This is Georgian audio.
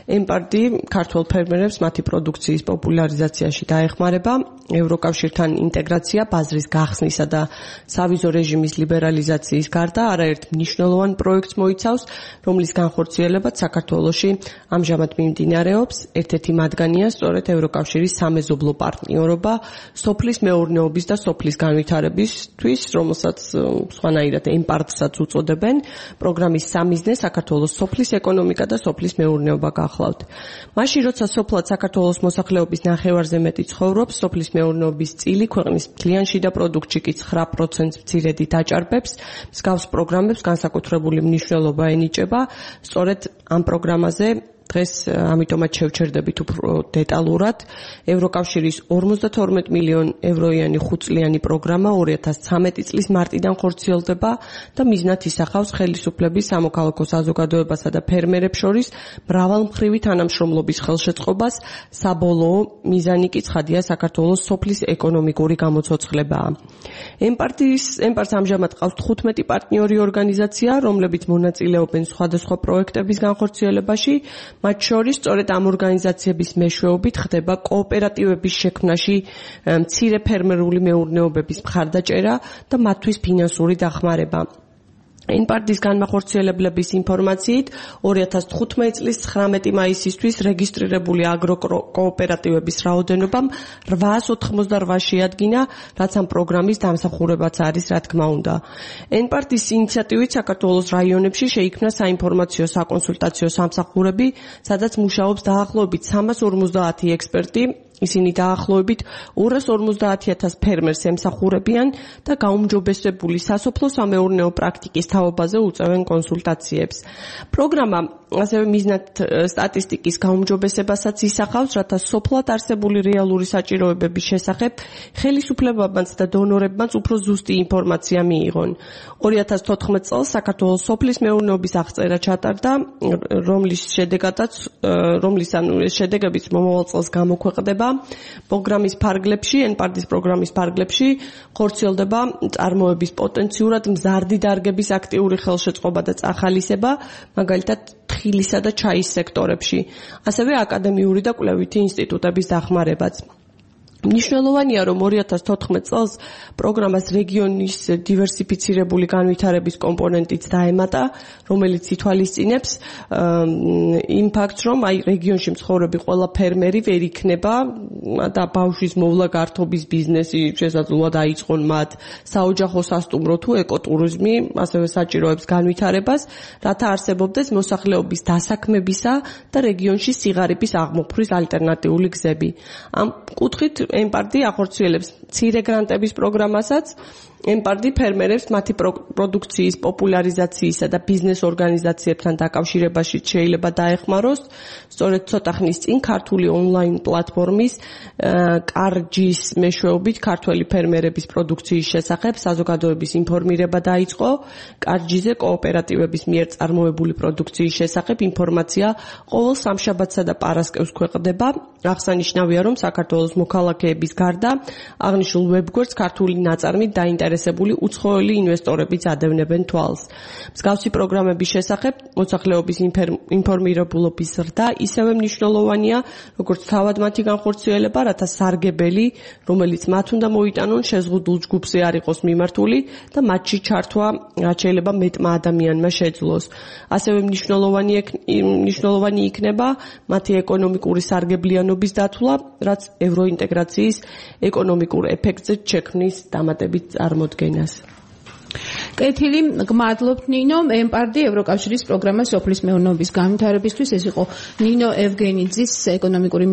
ემპარტი ქართველ ფერმერებს მათი პროდუქციის პოპულარიზაციაში დაეხმარება, ევროკავშირთან ინტეგრაცია, ბაზრის გახსნისა და სავიზო რეჟიმის ლიბერალიზაციის გარდა არაერთ მნიშვნელოვან პროექტს მოიცავს, რომლის განხორციელებაც საქართველოში ამჟამად მიმდინარეობს. ერთ-ერთი მათგანია სწორედ ევროკავშირის სამეზობლო პარტნიორობა სოფლის მეურნეობის და სოფლის განვითარებისთვის, რომელსაც სხვანაირად ემპარტსაც უწოდებენ. პროგრამის სამიზნე საქართველოს სოფლის ეკონომიკა და სოფლის მეურნეობა გახლავთ. მაშინ, როცა სოფლად საქართველოს მოსახლეობის ნახევარზე მეტი ცხოვრობს, სოფლის მეურნეობის წილი ქვეყნის მთლიან შიდა პროდუქტში კი 9%-ს მცირედით აჭარბებს. მსგავს პროგრამებს განსაკუთრებული მნიშვნელობა ენიჭება. სწორედ ამ პროგრამაზე დღეს ამიტომაც შევჩერდებით უფრო დეტალურად. ევროკავშირის 52 მილიონ ევროიანი 5-წლიანი პროგრამა 2013 წლის მარტიდან ხორციელდება და მიზნად ისახავს ხელისუფლების, სამოქალაქო საზოგადოებასა და ფერმერებს შორის მრავალმხრივი თანამშრომლობის ხელშეწყობას. საბოლოო მიზანი კი ცხადია საქართველოს სოფლის ეკონომიკური გამოცოცხლებაა. ემპარტს ამჟამად ყავს 15 პარტნიორი ორგანიზაცია, რომლებიც მონაწილეობენ სხვადასხვა პროექტების განხორციელებაში. მათ შორის სწორედ ამ ორგანიზაციების მეშვეობით ხდება კოოპერატივების შექმნაში მცირე ფერმერული მეურნეობების მხარდაჭერა და მათთვის ფინანსური დახმარება. ემპარტის განმახორციელებლების ინფორმაციით 2015 წლის 19 მაისისთვის რეგისტრირებული აგროკოოპერატივების რაოდენობა 888 შეადგინა, რაც ამ პროგრამის დამსახურებაც არის, რა თქმა უნდა. ემპარტის ინიციატივით საქართველოს რაიონებში შეიქმნა საინფორმაციო საკონსულტაციო სამსახურები, სადაც მუშაობს დაახლოებით 350 ექსპერტი. ისინი დაახლოებით 250,000 ფერმერს ემსახურებიან და გაუმჯობესებული სასოფლო-სამეურნეო პრაქტიკის თაობაზე უწევენ კონსულტაციებს. პროგრამა ასევე მიზნად სტატისტიკის გაუმჯობესებასაც ისახავს, რათა სოფლად არსებული რეალური საჭიროებების შესახებ ხელისუფლებებმაც და დონორებმაც უფრო ზუსტი ინფორმაცია მიიღონ. 2014 წელს საქართველოს სოფლის მეურნეობის აღწერა ჩატარდა, რომლის შედეგებიც მომავალ წელს გამოქვეყნდება. პროგრამის ფარგლებში, ემპარტის პროგრამის ფარგლებში ხორციელდება წარმოების პოტენციურად მზარდი დარგების აქტიური ხელშეწყობა და წახალისება, მაგალითად თხილისა და ჩაის სექტორებში, ასევე აკადემიური და კვლევითი ინსტიტუტების დახმარებაც. მნიშვნელოვანია, რომ 2014 წელს პროგრამას რეგიონის დივერსიფიცირებული განვითარების კომპონენტიც დაემატა, რომელიც ითვალისწინებს იმ ფაქტს, რომ რეგიონში მცხოვრები ყველა ფერმერი ვერ იქნება და ბავშვის მოვლა გართობის ბიზნესი შესაძლოა დაიწყონ მათ საოჯახო სასტუმრო თუ ეკოტურიზმი, ასევე საჭიროებს განვითარებას, რათა არსებობდეს მოსახლეობის დასაქმებისა და რეგიონში სიღარიბის აღმოფხვის ალტერნატიული გზები. ამ კუთხით ემპარტი ახორციელებს მცირე გრანტების პროგრამასაც. ემპარტი ფერმერებს მათი პროდუქციის პოპულარიზაციისა და ბიზნეს ორგანიზაციებთან დაკავშირებაში შეიძლება დაეხმაროს. სწორედ ცოტა ხნის წინ ქართული ონლაინ პლატფორმის კარჯის მეშვეობით ქართველი ფერმერების პროდუქციის შესახებ საზოგადოების ინფორმირება დაიწყო. კარჯიზე კოოპერატივების მიერ წარმოებული პროდუქციის შესახებ ინფორმაცია ყოველ სამშაბათსა და პარასკევს ქვეყნდება. აღსანიშნავია, რომ საქართველოს მოქალაქეების გარდა აღნიშნულ ვებგვერდს ქართული ნაწარმით დაინტერესებული უცხოელი ინვესტორებიც ადევნებენ თვალს. მსგავსი პროგრამების შესახებ მოსახლეობის ინფორმირებულობის ზრდა ისევე მნიშვნელოვანია, როგორც თავად მათი განხორციელება, რათა სარგებელი, რომელიც მათ უნდა მოიტანონ, შეზღუდულ ჯგუფზე არ იყოს მიმართული და მათში ჩართვა რაც შეიძლება მეტმა ადამიანმა შეძლოს. ასევე მნიშვნელოვანი იქნება მათი ეკონომიკური სარგებლიანობის დათვლა, რაც ევროინტეგრაციის ეკონომიკურ ეფექტზე შექმნის დამატებით წარმოდგენას. კეთილი, გმადლობთ ნინო. ემპარტი ევროკავშირის პროგრამა სოფლის მეურნეობის განვითარებისთვის. ეს იყო ნინო ევგენიძის ეკონომიკური